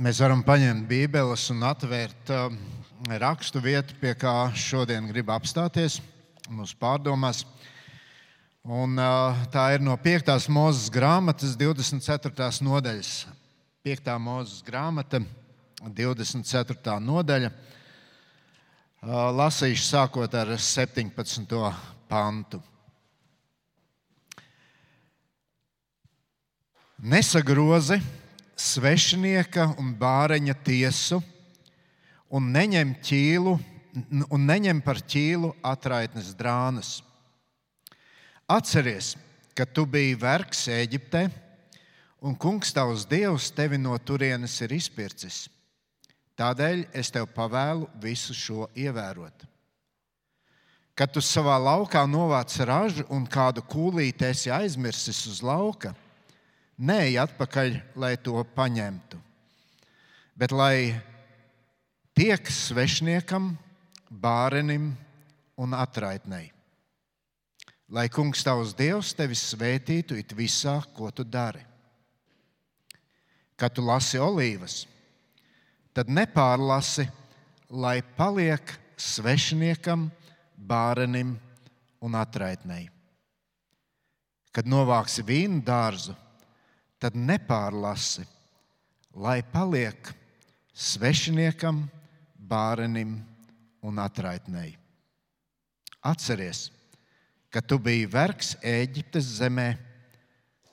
Mēs varam paņemt Bībeles un atvērt rakstu vietu, pie kā šodien grib apstāties mūsu pārdomās. Un, tā ir no 5. Mūzes grāmatas 24. nodaļas. 5. Mūzes grāmata, 24. nodaļa. Lasīšu sākot ar 17. pantu. Nesagrozi svešinieka un bāreņa tiesu un neņem par ķīlu atraitnes drānas. Atceries, ka tu biji vergs Ēģiptē, un kungs tavs Dievs tevi no turienes ir izpircis. Tādēļ es tev pavēlu visu šo ievērot. Kad tu savā laukā novāc ražu un kādu kūlīti esi aizmirsis uz lauka, neej atpakaļ, lai to paņemtu, bet lai tiek svešniekam, bārenim un atraitnei. Lai kungs tavs Dievs tevi svētītu it visā, ko tu dari. Kad tu lasi olīvas, tad nepārlasi, lai paliek svešniekam, bārenim un atraitnei. Kad novāksi vīnu dārzu, tad nepārlasi, lai paliek svešiniekam, bārenim un atraitnei. Atceries, ka tu biji vergs Ēģiptes zemē,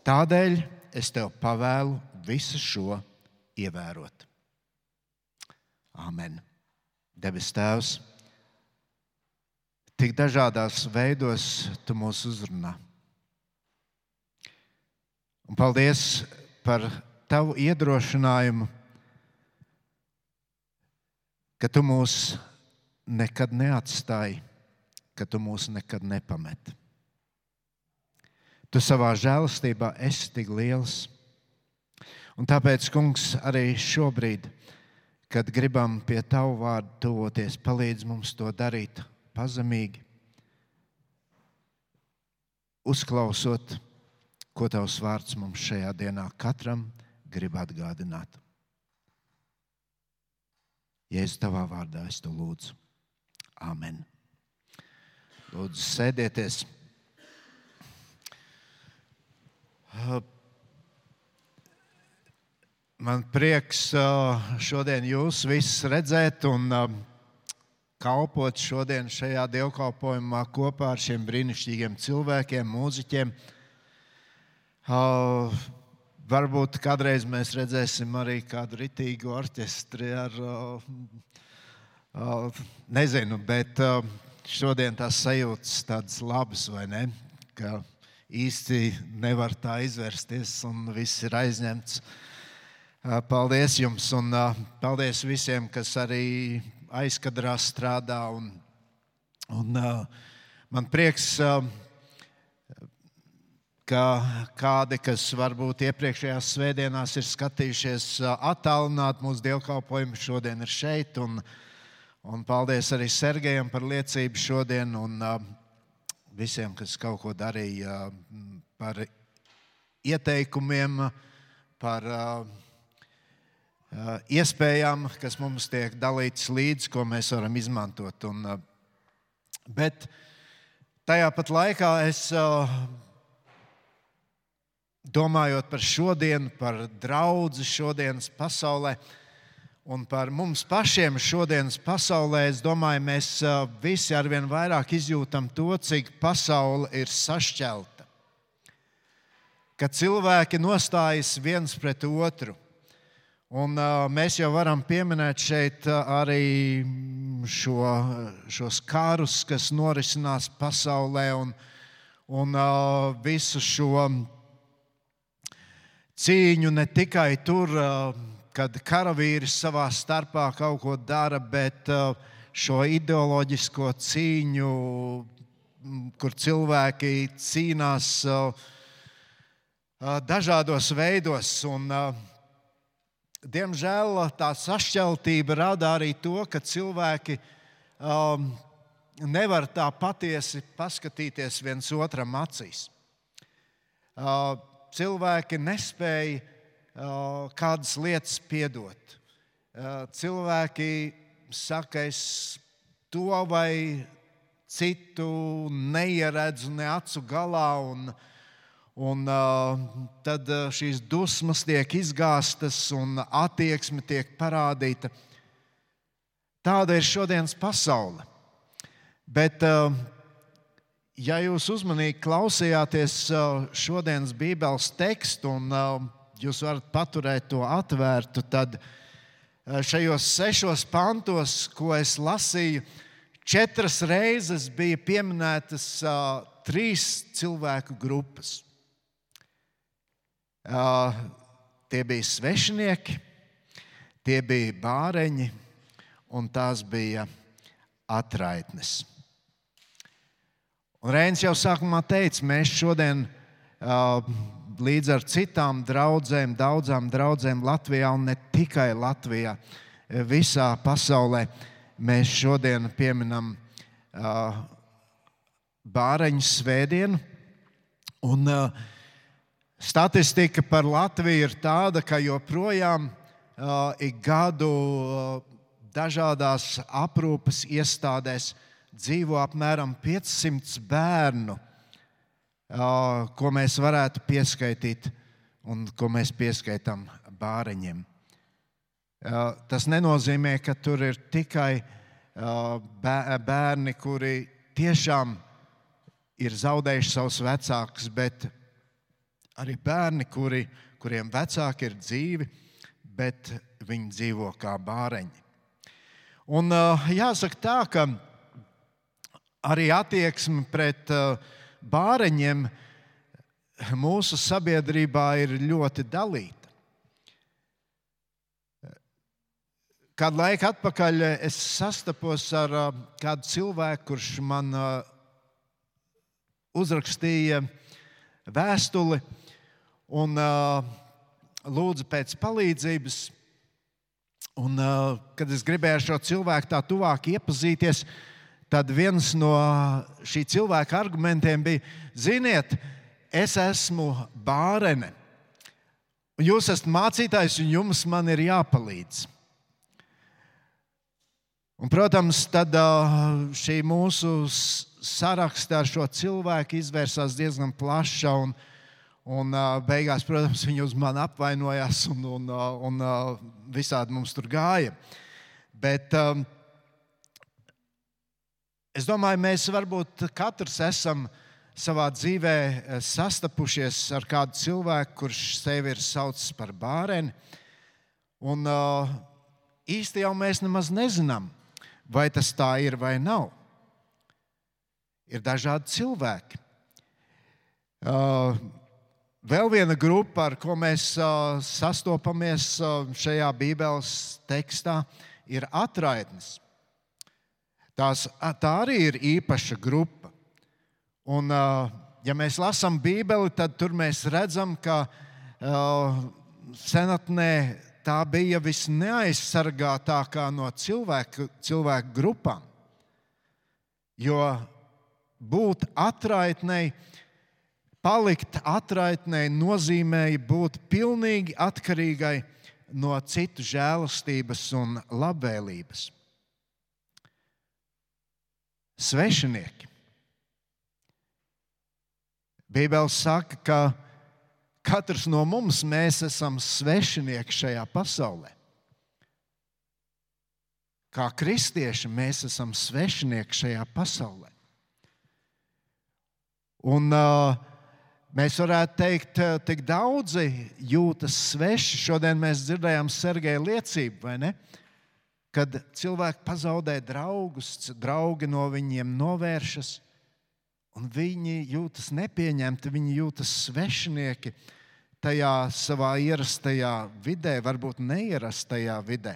tādēļ es tev pavēlu visu šo ievērot. Āmen. Debes Tēvs, tik dažādās veidos tu mūs uzrunā. Un paldies par tavu iedrošinājumu, ka tu mūs nekad neatstāji, ka tu mūs nekad nepameti. Tu savā žēlastībā esi tik liels. Un tāpēc, kungs, arī šobrīd, kad gribam pie tavu vārdu tuvoties, palīdz mums to darīt pazemīgi, uzklausot, ko tavs vārds mums šajā dienā katram grib atgādināt. Jēzus, tavā vārdā es to lūdzu. Āmen. Lūdzu, sēdieties. Man prieks šodien jūs visus redzēt un kalpot šodien šajā dievkalpojumā kopā ar šiem brīnišķīgiem cilvēkiem, mūziķiem. Varbūt kādreiz mēs redzēsim arī kādu ritīgu orķestri ar, nezinu, bet šodien tās sajūtas tādas labas, vai ne? Ka īsti nevar tā izvērsties un viss ir aizņemts. Paldies jums un paldies visiem, kas arī aizkadrā strādā. Un man prieks, ka kādi, kas varbūt iepriekšējās svētdienās ir skatījušies attālināt mūsu dievkalpojumu, šodien ir šeit. Un paldies arī Sergejam par liecību šodien un visiem, kas kaut ko darīja par ieteikumiem, par iespējām, kas mums tiek dalītas līdzi, ko mēs varam izmantot. Bet tajā pat laikā es domājot par šodienu, par draudzi šodienas pasaulē un par mums pašiem šodienas pasaulē, es domāju, mēs visi arvien vairāk izjūtam to, cik pasaule ir sašķelta. Ka cilvēki nostājas viens pret otru. Un mēs jau varam pieminēt šeit arī šos karus, kas norisinās pasaulē un visu šo cīņu ne tikai tur, kad karavīri savā starpā kaut ko dara, bet šo ideoloģisko cīņu, kur cilvēki cīnās dažādos veidos. Un, diemžēl tā sašķeltība rada arī to, ka cilvēki nevar tā patiesi paskatīties viens otram acīs. Cilvēki nespēja kādas lietas piedot. cilvēki saka, es to vai citu neieredzu ne acu galā, un tad šīs dusmas tiek izgāstas un attieksme tiek parādīta. Tāda ir šodienas pasaule. Bet, ja jūs uzmanīgi klausījāties šodienas Bībeles tekstu un jūs varat paturēt to atvērtu, tad šajos 6 pantos, ko es lasīju, 4 reizes bija pieminētas 3 cilvēku grupas. Tie bija svešinieki, tie bija bāreņi un tās bija atraitnes. Un Reinis jau sākumā teica, mēs šodien līdz ar citām draudzēm, daudzām draudzēm Latvijā un ne tikai Latvijā, visā pasaulē, mēs šodien pieminam bāreņu svētdienu. Un statistika par Latviju ir tāda, ka joprojām ik gadu dažādās aprūpes iestādēs dzīvo apmēram 500 bērnu, ko mēs varētu pieskaitīt un ko mēs pieskaitām bāreņiem. Tas nenozīmē, ka tur ir tikai bērni, kuri tiešām ir zaudējuši savus vecākus, bet arī bērni, kuriem vecāki ir dzīvi, bet viņi dzīvo kā bāreņi. Un jāsaka tā, ka arī attieksme pret bāreņiem mūsu sabiedrībā ir ļoti dalīta. Kādu laiku atpakaļ es sastapos ar kādu cilvēku, kurš man uzrakstīja vēstuli un lūdza pēc palīdzības. Un, kad es gribēju ar šo cilvēku tā tuvāk iepazīties, tad viens no šī cilvēka argumentiem bija, ziniet, es esmu bārene, un jūs esat mācītājs, un jums man ir jāpalīdz. Un, protams, tad šī mūsu saraksta ar šo cilvēku izvērsās diezgan plaša, un beigās, protams, viņi uz mani apvainojās, un visādi mums tur gāja. Bet es domāju, mēs varbūt katrs esam savā dzīvē sastapušies ar kādu cilvēku, kurš sevi ir saucis par bāreni. Un īsti jau mēs nemaz nezinām, vai tas tā ir vai nav. Ir dažādi cilvēki. Vēl viena grupa, ar ko mēs sastopamies šajā Bībeles tekstā, ir atraitnes. Tā arī ir īpaša grupa. Un, ja mēs lasām Bībeli, tad tur mēs redzam, ka senatnē tā bija visneaizsargātākā no cilvēku grupām. Jo būt atraitnei, palikt atraitnei nozīmēja būt pilnīgi atkarīgai no citu žēlastības un labvēlības. Svešinieki. Bībele saka, ka katrs no mums, mēs esam svešinieki šajā pasaulē. Kā kristieši mēs esam svešinieki šajā pasaulē. Un mēs varētu teikt, tik daudzi jūtas sveši. Šodien mēs dzirdējām Sergeja liecību, vai ne? Kad cilvēki pazaudē draugus, draugi no viņiem novēršas, un viņi jūtas nepieņemti, viņi jūtas svešinieki tajā savā ierastajā vidē, varbūt neierastajā vidē.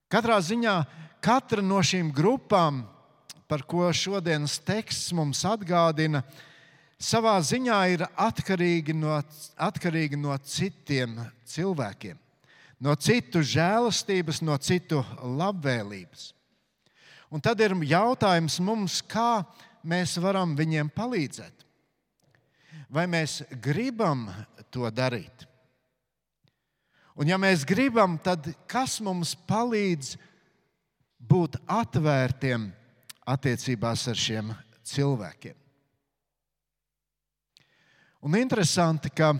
Katrā ziņā katra no šīm grupām, par ko šodienas teksts mums atgādina, savā ziņā ir atkarīgi no citiem cilvēkiem. No citu žēlastības, no citu labvēlības. Un tad ir jautājums mums, kā mēs varam viņiem palīdzēt. Vai mēs gribam to darīt? Un ja mēs gribam, tad kas mums palīdz būt atvērtiem attiecībās ar šiem cilvēkiem? Un interesanti, ka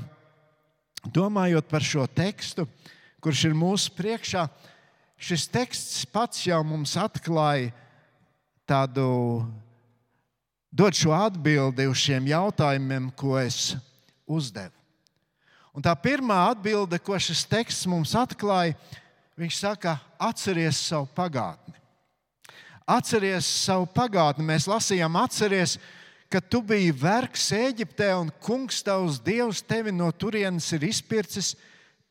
domājot par šo tekstu, kurš ir mūsu priekšā, šis teksts pats jau mums atklāja dod šo atbildi uz šiem jautājumiem, ko es uzdevu. Un tā pirmā atbilde, ko šis teksts mums atklāja, viņš saka, atceries savu pagātni. Atceries savu pagātni. Mēs lasījām, atceries, ka tu biji vergs Ēģiptē un kungs tavs Dievs tevi no turienes ir izpircis,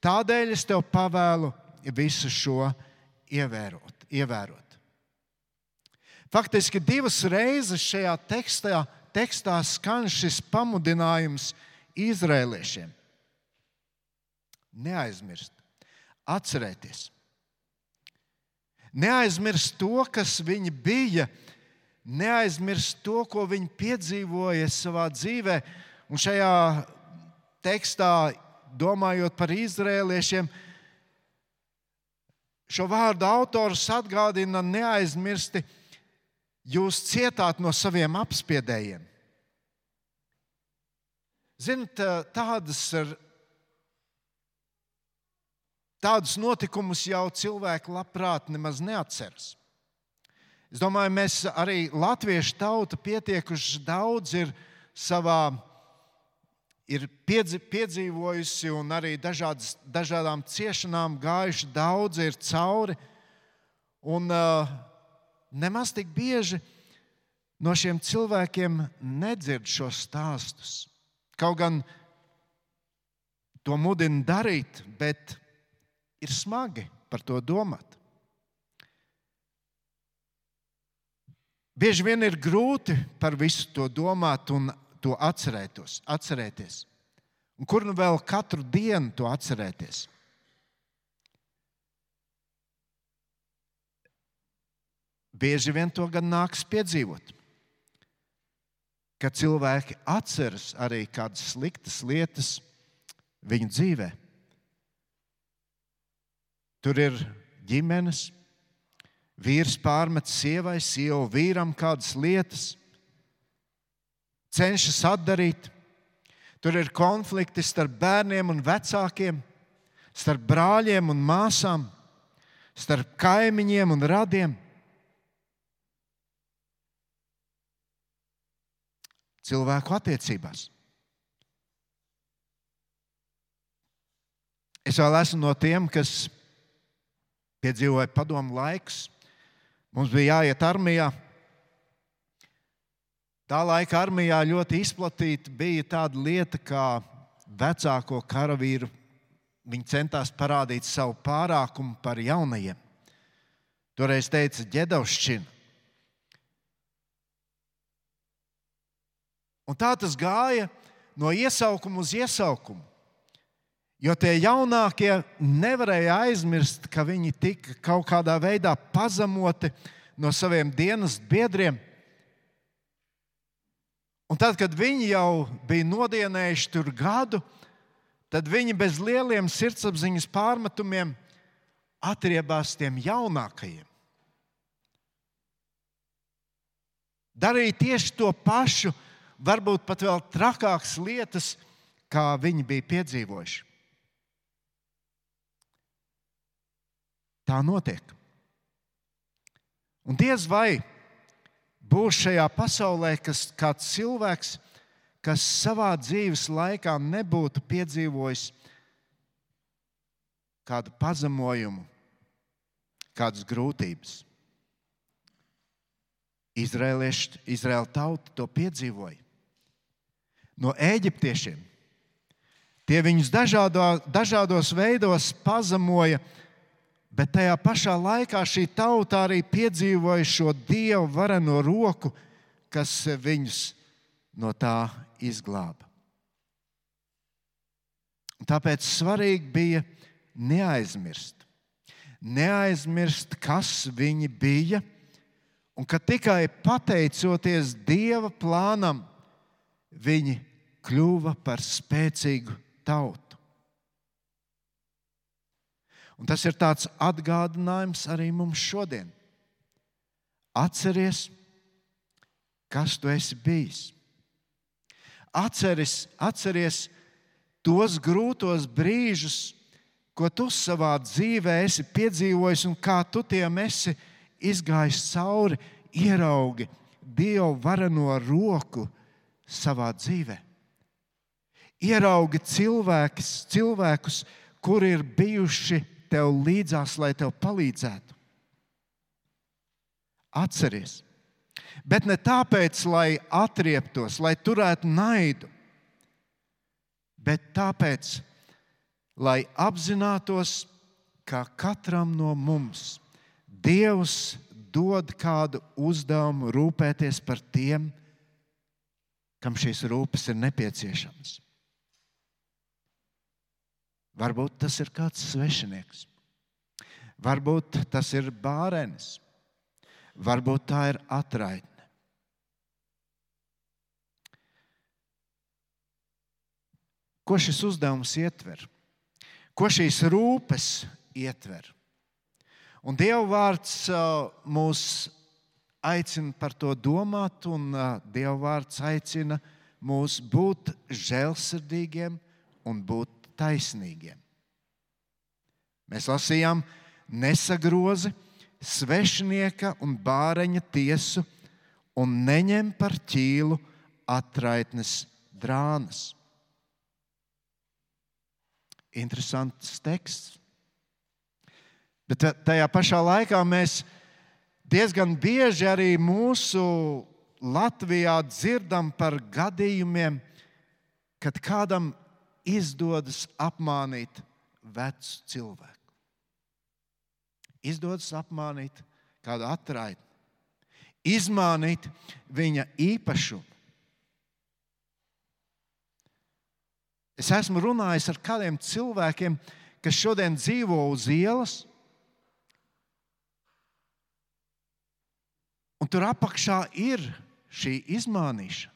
tādēļ es tev pavēlu visu šo ievērot. Faktiski 2 reizes šajā tekstā skan šis pamudinājums izrēliešiem. Neaizmirst, atcerēties. Neaizmirst to, kas viņi bija, neaizmirst to, ko viņi piedzīvoja savā dzīvē. Un šajā tekstā, domājot par izrēliešiem, šo vārdu autors atgādina neaizmirsti, jūs cietāt no saviem apspiedējiem. Ziniet, tādus notikumus jau cilvēki labprāt nemaz neatceras. Es domāju, mēs arī latviešu tauta pietiekuši daudz ir piedzīvojusi un arī dažādām ciešanām gājuši, daudz ir cauri. Un nemaz tik bieži no šiem cilvēkiem nedzird šos stāstus. Kaut gan to mudina darīt, bet ir smagi par to domāt. Bieži vien ir grūti par visu to domāt un to atcerēties. Un kur nu vēl katru dienu to atcerēties? Bieži vien to gan nāks piedzīvot, ka cilvēki atceras arī kādas sliktas lietas viņu dzīvē. Tur ir ģimenes, vīrs pārmet sievai, sieva vīram kādas lietas, cenšas atdarīt. Tur ir konflikti starp bērniem un vecākiem, starp brāļiem un māsām, starp kaimiņiem un radiem. Cilvēku attiecībās. Es vēl esmu no tiem, kas piedzīvoja padomu laikus. Mums bija jāiet armijā. Tā laika armijā ļoti izplatīta bija tāda lieta, kā vecāko karavīru. Viņi centās parādīt savu pārākumu par jaunajiem. Toreiz teica ģedavšķina. Un tā tas gāja no iesaukuma uz iesaukumu. Jo tie jaunākie nevarēja aizmirst, ka viņi tika kaut kādā veidā pazemoti no saviem dienas biedriem. Un tad, kad viņi jau bija nodienējuši tur gadu, tad viņi bez lieliem sirdsapziņas pārmetumiem atriebās tiem jaunākajiem. Darīja tieši to pašu, varbūt pat vēl trakākas lietas, kā viņi bija piedzīvojuši. Tā notiek. Un diez vai būs šajā pasaulē kāds cilvēks, kas savā dzīves laikā nebūtu piedzīvojis kādu pazemojumu, kādas grūtības. Izraēla tauta to piedzīvoja. No ēģiptiešiem. Tie viņus dažādos veidos pazemoja, bet tajā pašā laikā šī tauta arī piedzīvoja šo Dievu vareno roku, kas viņus no tā izglāba. Un tāpēc svarīgi bija neaizmirst. Neaizmirst, kas viņi bija, un ka tikai pateicoties Dieva plānam, viņi kļuva par spēcīgu tautu. Un tas ir tāds atgādinājums arī mums šodien. Atceries, kas tu esi bijis. Atceries tos grūtos brīžus, ko tu savā dzīvē esi piedzīvojis un kā tu tiem esi izgājis cauri, ieraugi Dieva vareno roku savā dzīvē. Ieraugi cilvēkus, kuri ir bijuši tev līdzās, lai tev palīdzētu. Atceries. Bet ne tāpēc, lai atrieptos, lai turētu naidu, bet tāpēc, lai apzinātos, ka katram no mums Dievs dod kādu uzdevumu rūpēties par tiem, kam šīs rūpes ir nepieciešamas. Varbūt tas ir kāds svešinieks, varbūt tas ir bārenis, varbūt tā ir atraitne. Ko šis uzdevums ietver? Ko šīs rūpes ietver? Un Dieva vārds mūs aicina par to domāt, un Dieva vārds aicina mūs būt žēlsirdīgiem un būt taisnīgiem. Mēs lasījām: nesagrozi svešinieka un bāreņa tiesu un neņem par ķīlu atraitnes drānas. Interesants teksts. Bet tajā pašā laikā mēs diezgan bieži arī mūsu Latvijā dzirdam par gadījumiem, kad kādam izdodas apmānīt vecu cilvēku. Izdodas apmānīt kādu atraitni, izmānīt viņa īpašumu. Es esmu runājis ar kādiem cilvēkiem, kas šodien dzīvo uz ielas, un tur apakšā ir šī izmānīšana.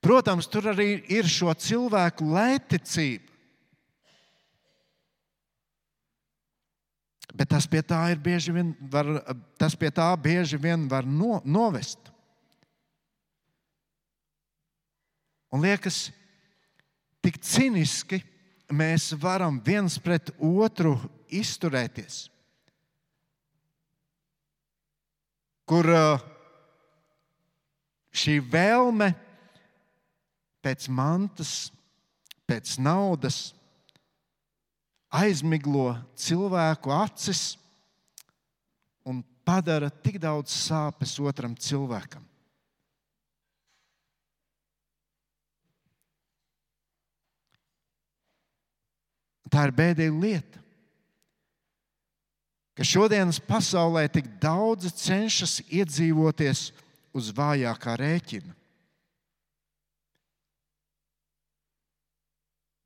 Protams, tur arī ir šo cilvēku lētticība, bet tas pie tā bieži vien var novest. Un liekas, tik ciniski mēs varam viens pret otru izturēties, kur šī vēlme pēc mantas, pēc naudas aizmiglo cilvēku acis un padara tik daudz sāpes otram cilvēkam. Tā ir bēdīga lieta, ka šodienas pasaulē tik daudzi cenšas iedzīvoties uz vājākā rēķina.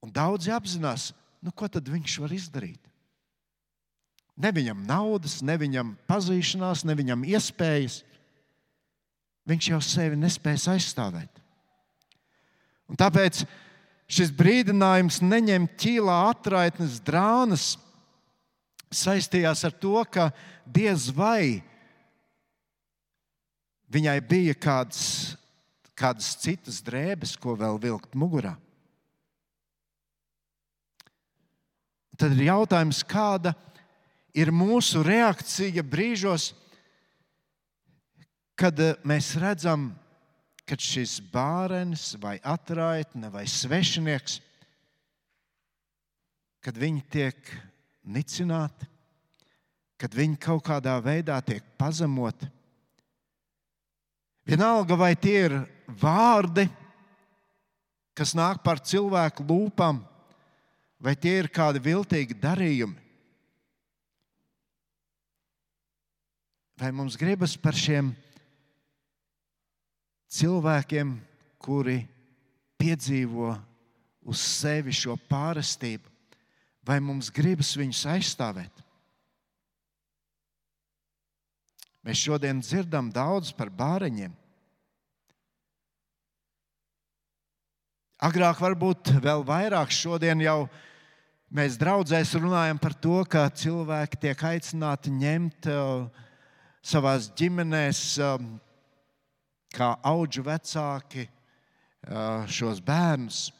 Un daudzi apzinās, ko tad viņš var izdarīt. Ne viņam naudas, ne viņam pazīšanās, ne viņam iespējas. Viņš jau sevi nespēs aizstāvēt. Un tāpēc šis brīdinājums neņemt ķīlā atraitnes drānas saistījās ar to, ka diez vai viņai bija kādas citas drēbes, ko vēl vilkt mugurā. Tad ir jautājums, kāda ir mūsu reakcija brīžos, kad mēs redzam, kad šis bārenis vai atraitne vai svešinieks, kad viņi tiek nicināti, kad viņi kaut kādā veidā tiek pazemoti. Vienalga, vai tie ir vārdi, kas nāk par cilvēku lūpām, vai tie ir kādi viltīgi darījumi. Vai mums gribas par šiem cilvēkiem, kuri piedzīvo uz sevi šo pārestību, vai mums gribas viņus aizstāvēt? Mēs šodien dzirdam daudz par bāreņiem. Agrāk varbūt vēl vairāk, šodien jau Mēs draudzēs runājam par to, ka cilvēki tiek aicināti ņemt savās ģimenēs, kā audžu vecāki, šos bērnus,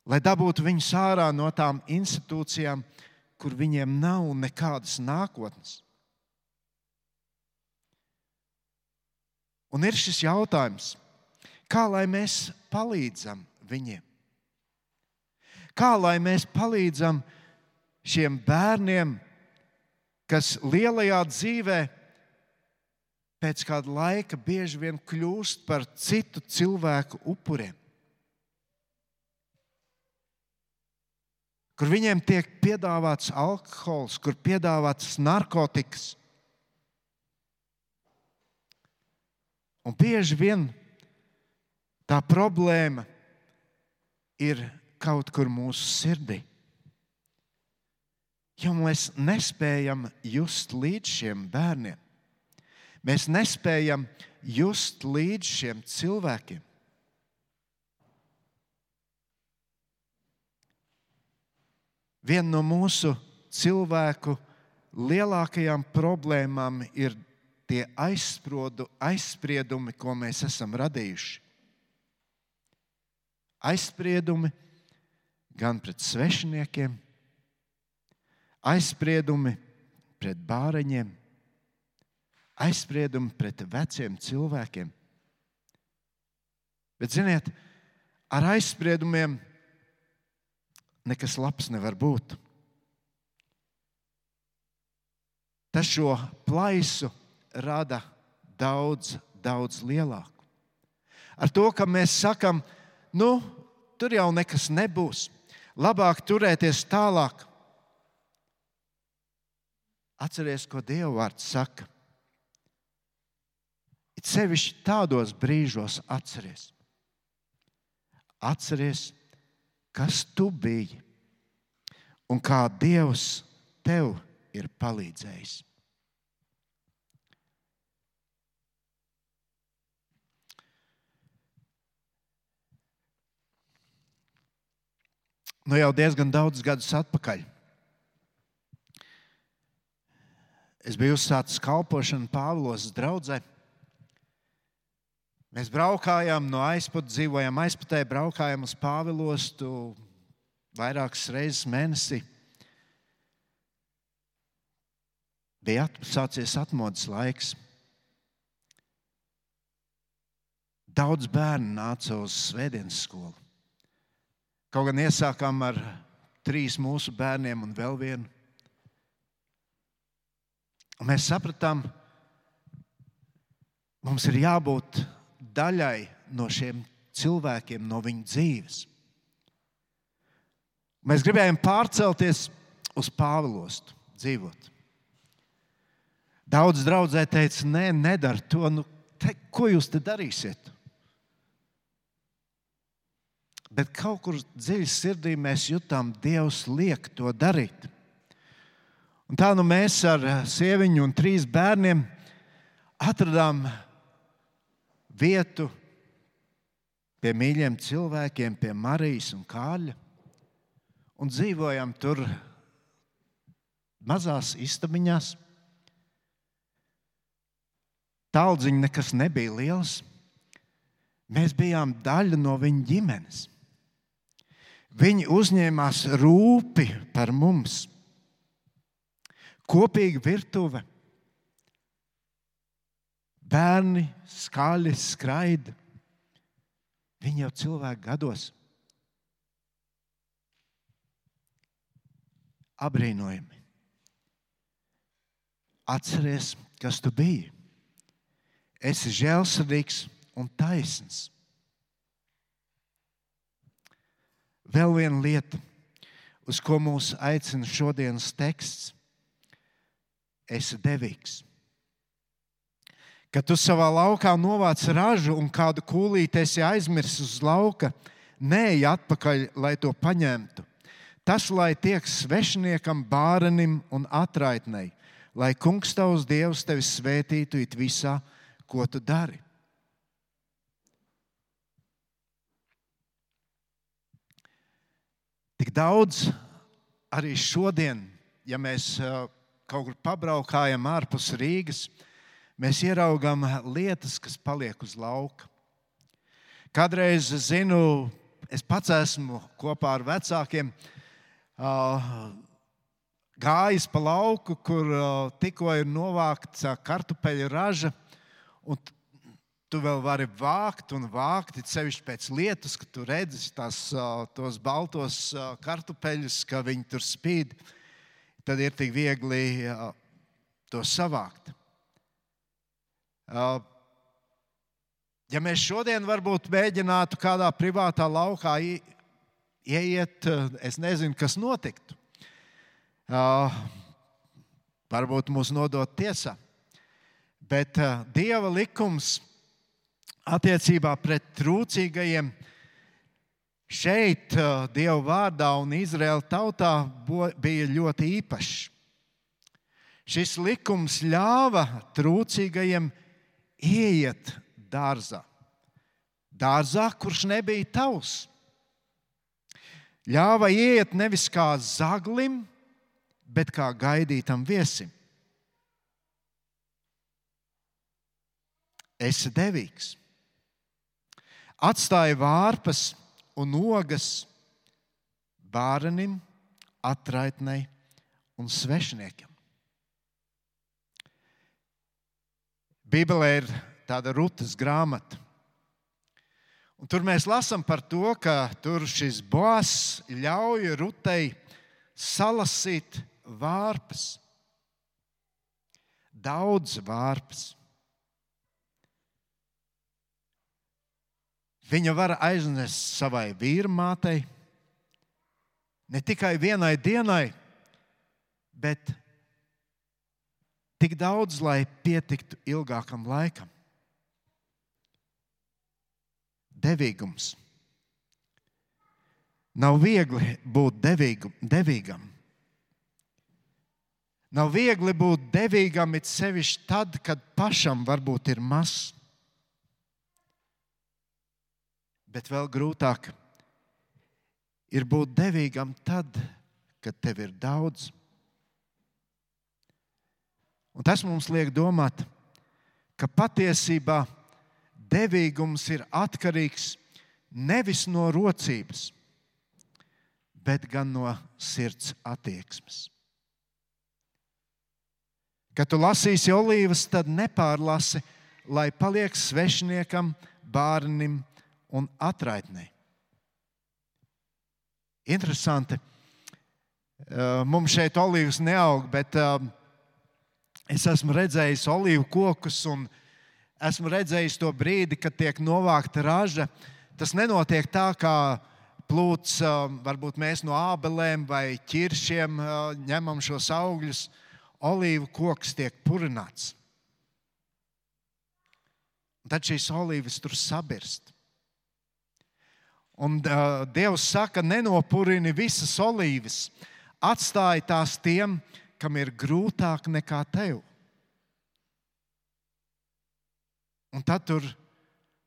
lai dabūtu viņus ārā no tām institūcijām, kur viņiem nav nekādas nākotnes. Un ir šis jautājums, kā lai mēs palīdzam viņiem? Kā lai mēs palīdzam šiem bērniem, kas lielajā dzīvē pēc kāda laika bieži vien kļūst par citu cilvēku upuriem? Kur viņiem tiek piedāvāts alkohols, kur piedāvāts narkotikas. Un bieži vien tā problēma ir kaut kur mūsu sirdī. Jo mēs nespējam just līdz šiem bērniem. Mēs nespējam just līdz šiem cilvēkiem. Viena no mūsu cilvēku lielākajām problēmām ir tie aizspriedumi, ko mēs esam radījuši. Aizspriedumi gan pret svešiniekiem, aizspriedumi pret bāreņiem, aizspriedumi pret veciem cilvēkiem. Bet, ziniet, ar aizspriedumiem nekas labs nevar būt. Tas šo plaisu rada daudz, daudz lielāku. Ar to, ka mēs sakam, tur jau nekas nebūs, labāk turēties tālāk. Atceries, ko Dieva vārds saka. It sevišķi tādos brīžos atceries. Atceries, kas tu biji un kā Dievs tev ir palīdzējis. Jau diezgan daudz gadus atpakaļ es biju uzsācis kalpošanu Pāvilostas draudzē. Mēs braukājām no Aizpata, dzīvojām Aizpatē, braukājām uz Pāvilostu vairākas reizes mēnesī. Bija sācies atmodas laiks. Daudz bērnu nāca uz svētdienas skolu. Kaut gan iesākām ar 3 mūsu bērniem un vēl vienu. Un mēs sapratām, mums ir jābūt daļai no šiem cilvēkiem, no viņu dzīves. Mēs gribējām pārcelties uz Pāvilostu, dzīvot. Daudz draudzē teica, nē, nedara to. Ko jūs te darīsiet? Bet kaut kur dziļi sirdī mēs jutām, Dievs liek to darīt. Un tā mēs ar sieviņu un 3 bērniem atradām vietu pie mīļiem cilvēkiem, pie Marijas un Kārļa, un dzīvojam tur mazās istabiņās. Taldziņa nekas nebija liels. Mēs bijām daļa no viņa ģimenes. Viņi uzņēmās rūpi par mums. Kopīga virtuve. Bērni skaļi skraida. Viņi jau cilvēku gados. Abrīnojami. Atceries, kas tu biji. Esi žēlsirdīgs un taisns. Vēl viena lieta, uz ko mūs aicina šodienas teksts. Esi devīgs. Kad tu savā laukā novāc ražu un kādu kūlīti esi aizmirsis uz lauka, neej atpakaļ, lai to paņemtu. Tas, lai tiek svešiniekam, bārenim un atraitnei, lai Kungs tavs Dievs tevi svētītu it visā, ko tu dari. Tik daudz arī šodien, ja mēs kaut kur pabraukājam ārpus Rīgas, mēs ieraugām lietas, kas paliek uz lauka. Kādreiz, zinu, es pats esmu kopā ar vecākiem gājis pa lauku, kur tikko ir novākts kartupeļu raža, un tu vēl vari vākt un vākt, it sevišķi pēc lietus, ka tu redzi tos baltos kartupeļus, ka viņi tur spīd, tad ir tik viegli to savākt. Ja mēs šodien varbūt mēģinātu kādā privātā laukā ieiet, es nezinu, kas notiktu. Varbūt mūs nodot tiesā. Bet Dieva likums attiecībā pret trūcīgajiem šeit Dieva vārdā un Izraēla tautā bija ļoti īpašs. Šis likums ļāva trūcīgajiem ieiet dārzā. Dārzā, kurš nebija tavs. Ļāva ieiet nevis kā zaglim, bet kā gaidītam viesim. Esi devīgs. Atstāja vārpas un ogas bārenim, atraitnei un svešiniekam. Bībelē ir tāda Rutas grāmata. Un tur mēs lasām par to, ka tur šis Boaz ļauj Rutei salasīt vārpas. Daudz vārpas. Viņa var aiznest savai vīrmātei, ne tikai vienai dienai, bet tik daudz, lai pietiktu ilgākam laikam. Devīgums. Nav viegli būt devīgam. Nav viegli būt devīgam, it sevišķi tad, kad pašam varbūt ir maz. Bet vēl grūtāk ir būt devīgam tad, kad tev ir daudz. Un tas mums liek domāt, ka patiesībā devīgums ir atkarīgs nevis no rocības, bet gan no sirds attieksmes. Kad tu lasīsi olīvas, tad nepārlasi, lai paliek svešiniekam, bārnim un atraitnei. Interesanti. Mums šeit olīvas neaug, bet es esmu redzējis olīvu kokus un esmu redzējis to brīdi, kad tiek novākta raža. Tas nenotiek tā, kā plūds, varbūt mēs no ābelēm vai ķiršiem ņemam šos augļus. Olīvu koks tiek purināts. Tad šīs olīvas tur sabirst. Un Dievs saka, nenopurini visas olīvas, atstāj tās tiem, kam ir grūtāk nekā tev. Un tad tur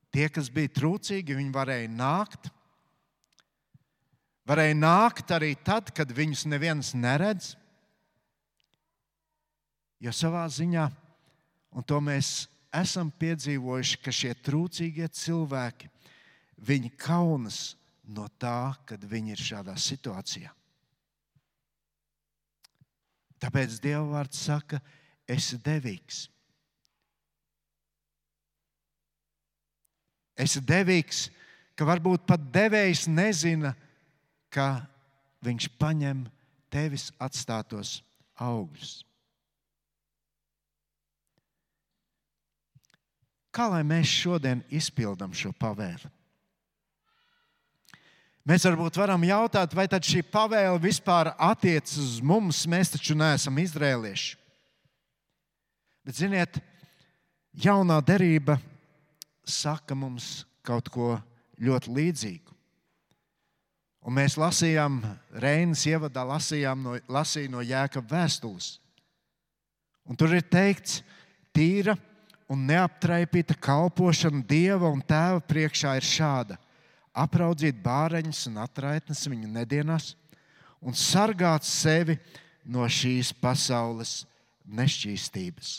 tie, kas bija trūcīgi, viņi varēja nākt. Varēja nākt arī tad, kad viņus neviens neredz. Jo savā ziņā, un to mēs esam piedzīvojuši, ka šie trūcīgie cilvēki, viņi kaunas no tā, kad viņi ir šādā situācijā. Tāpēc Dieva vārds saka, esi devīgs. Esi devīgs, ka varbūt pat devējs nezina, ka viņš paņem tevis atstātos augļus. Kā lai mēs šodien izpildam šo pavēli? Mēs varbūt varam jautāt, vai tad šī pavēle vispār attiecas uz mums, mēs taču neesam izrēlieši. Bet ziniet, jaunā derība saka mums kaut ko ļoti līdzīgu. Un mēs lasījām, Reinas ievadā lasīja no Jēkaba vēstules. Un tur ir teikts, tīra un neaptraipīta kalpošana Dieva un Tēva priekšā ir šāda: apraudzīt bāreņus un atraitnes viņu nedienās un sargāt sevi no šīs pasaules nešķīstības.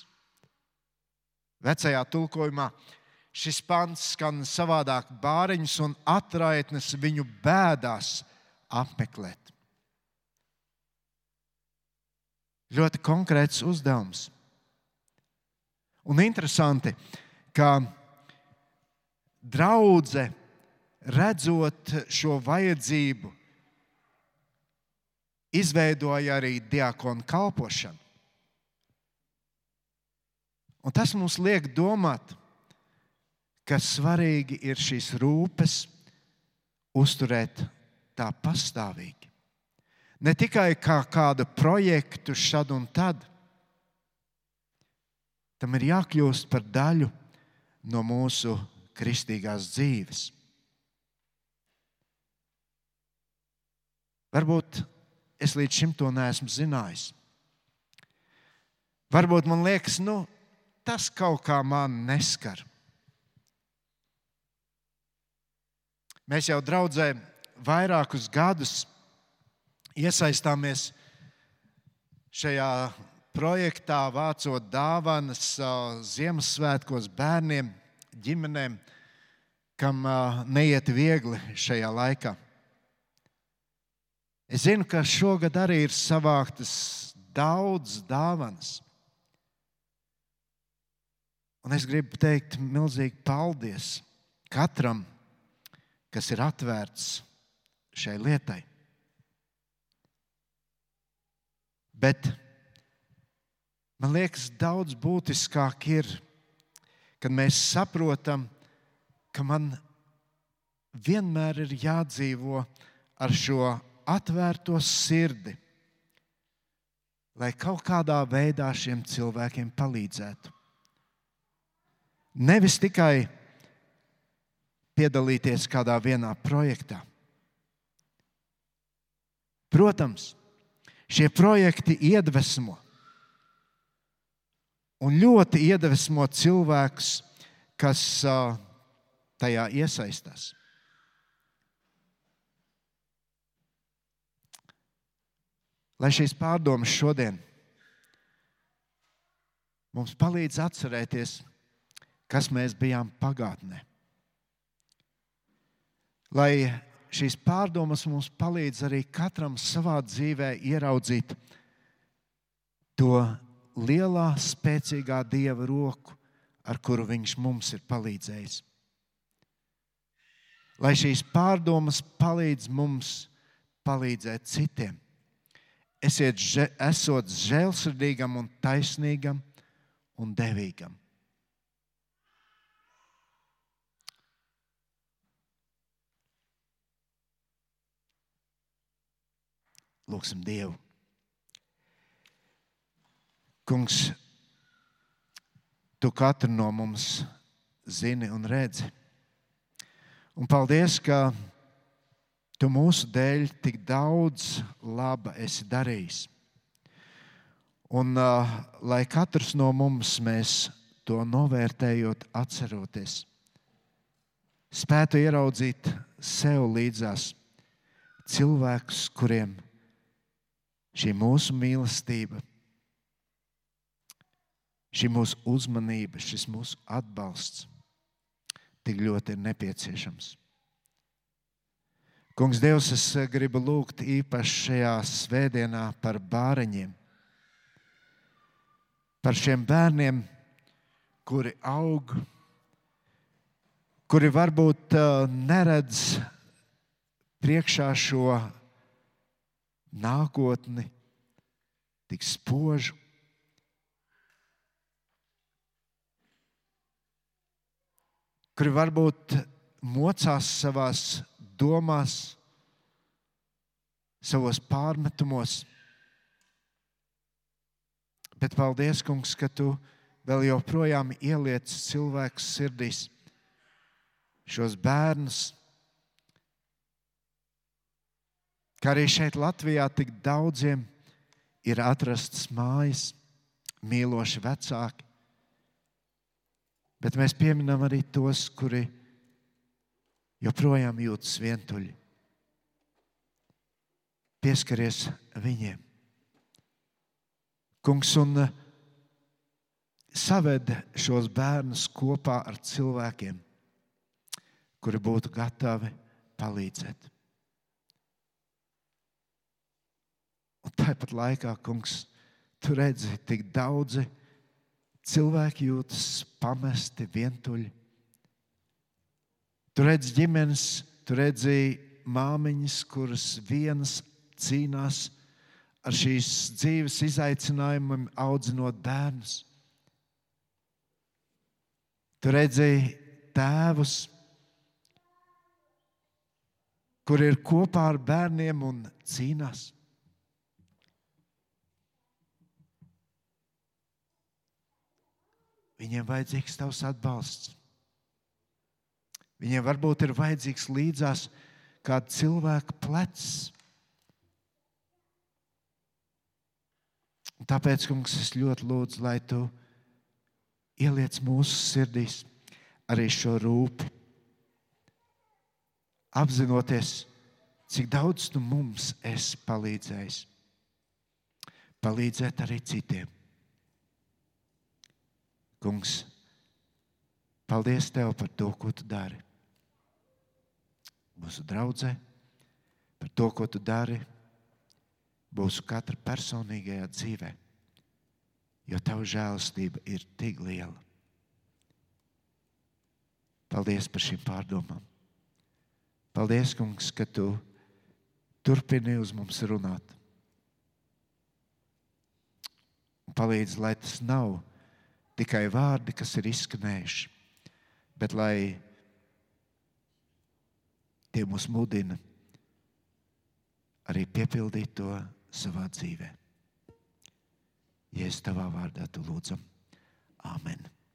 Vecajā tulkojumā šis pants skan savādāk: bāreņus un atraitnes viņu bēdās apmeklēt. Ļoti konkrēts uzdevums. Un interesanti, ka draudze, redzot šo vajadzību, izveidoja arī diakonu kalpošanu. Un tas mums liek domāt, ka svarīgi ir šīs rūpes uzturēt tā pastāvīgi. Ne tikai kā kādu projektu šad un tad. Tam ir jākļūst par daļu no mūsu kristīgās dzīves. Varbūt es līdz šim to neesmu zinājis. Varbūt man liekas, tas kaut kā man neskar. Mēs jau draudzē vairākus gadus iesaistāmies šajā projektā, vācot dāvanas Ziemassvētkos bērniem, ģimenēm, kam neiet viegli šajā laikā. Es zinu, ka šogad arī ir savāktas daudz dāvanas. Un es gribu teikt milzīgi paldies katram, kas ir atvērts šai lietai. Bet man liekas, daudz būtiskāk ir, kad mēs saprotam, ka man vienmēr ir jādzīvo ar šo atvērto sirdi, lai kaut kādā veidā šiem cilvēkiem palīdzētu. Nevis tikai piedalīties kādā vienā projektā. Protams, šie projekti iedvesmo un ļoti iedvesmo cilvēkus, kas tajā iesaistās. Lai šīs pārdomas šodien mums palīdz atcerēties, kas mēs bijām pagātnē. Lai šīs pārdomas mums palīdz arī katram savā dzīvē ieraudzīt to lielā, spēcīgā Dieva roku, ar kuru Viņš mums ir palīdzējis. Lai šīs pārdomas palīdz mums palīdzēt citiem. Esot žēlsirdīgam un taisnīgam un devīgam. Lūksim Dievu. Kungs, Tu katru no mums zini un redzi. Un paldies, ka Tu mūsu dēļ tik daudz laba esi darījis. Un lai katrs no mums mēs to novērtējot, atceroties, spētu ieraudzīt sev līdzās cilvēkus, kuriem šī mūsu mīlestība, šī mūsu uzmanība, šis mūsu atbalsts tik ļoti ir nepieciešams. Kungs, Dievs, es gribu lūgt īpaši šajā svētdienā par bāreņiem, par šiem bērniem, kuri aug, kuri varbūt neredz priekšā šo nākotni tik spožu. Kuri varbūt mocās savās domās, savos pārmetumos. Bet paldies, Kungs, ka Tu vēl joprojām ieliec cilvēku sirdīs šos bērnus, ka arī šeit Latvijā tik daudziem ir atrastas mājas, mīloši vecāki, bet mēs pieminam arī tos, kuri joprojām jūtas vientuļi. pieskaries viņiem. Kungs, un saved šos bērnus kopā ar cilvēkiem, kuri būtu gatavi palīdzēt. Un tāpat laikā, Kungs, tu redzi, tik daudzi cilvēki jūtas pamesti, vientuļi. Tu redzi ģimenes, tu redzi māmiņas, kuras vienas cīnās ar šīs dzīves izaicinājumiem, audzinot bērnus. Tu redzi tēvus, kuri ir kopā ar bērniem un cīnās. Viņiem vajadzīgs tavs atbalsts. Viņiem varbūt ir vajadzīgs līdzās kāda cilvēka plecs. Un tāpēc, Kungs, es ļoti lūdzu, lai tu ieliec mūsu sirdīs arī šo rūpi, apzinoties, cik daudz tu mums esi palīdzējis. Palīdzēt arī citiem. Kungs, paldies Tev par to, ko Tu dari. Mūsu draudzē, par to, ko Tu dari, mūsu katra personīgajā dzīvē, jo Tava žēlastība ir tik liela. Paldies par šīm pārdomām. Paldies, Kungs, ka Tu turpini uz mums runāt. Palīdz, lai tas nav tikai vārdi, kas ir izskanējuši, bet lai tie mūs mudina arī piepildīt to savā dzīvē. Jēzus Tavā vārdā tu lūdzam. Āmen.